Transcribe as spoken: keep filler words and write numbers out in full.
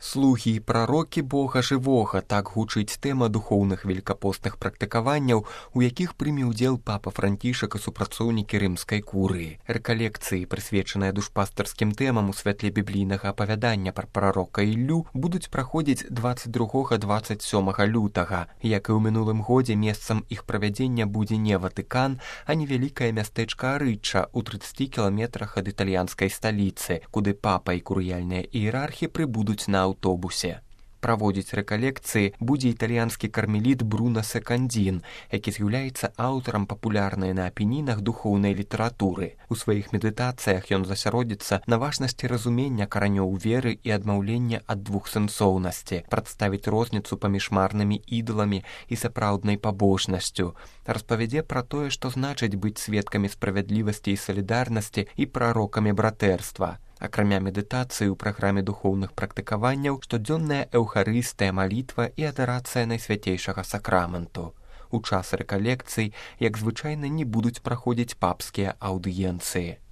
Слугі і прарокі Бога жывога, так гучыць тэма духоўных велікапостных практыкаванняў, у якіх прыме ўдзел папа Францішак і супрацоўнікі рымскай курыі. Рэкалекцыі, прысвечаныя душпастарскім тэмам у святле біблійнага апавядання пра прарока Іллю, будуць праходзіць дваццаць другога - дваццаць сёмага лютага. Як і ў мінулым годзе, месцам іх правядзення будзе не Ватыкан, а невялікае мястэчка Арычча ў трыццаці кіламетрах ад італьянскай сталіцы, куды папа і курыяльныя іерархі прыбудуць на аўтобусе. Праводзіць рэкалекцыі будзе італьянскі кармеліт Бруно Секандзін, які з'яўляецца аўтарам папулярнай на апенінах духоўнай літаратуры. У сваіх медытацыях ён засяродзіцца на важнасці разумення каранёў веры і адмаўлення ад двухсэнсоўнасці, прадставіць розніцу паміж марнымі ідаламі і сапраўднай пабожнасцю, распавядзе пра тое, што значыць быць сведкамі справядлівасці і салідарнасці і прарокамі братэрства. Акрамя медытацыі ў праграме духоўных практыкаванняў штодзённая эўхарыстыя, малітва і адарацыя найсвяцейшага сакраменту. У час рэкалекцый, як звычайна, не будуць праходзіць папскія аўдыенцыі.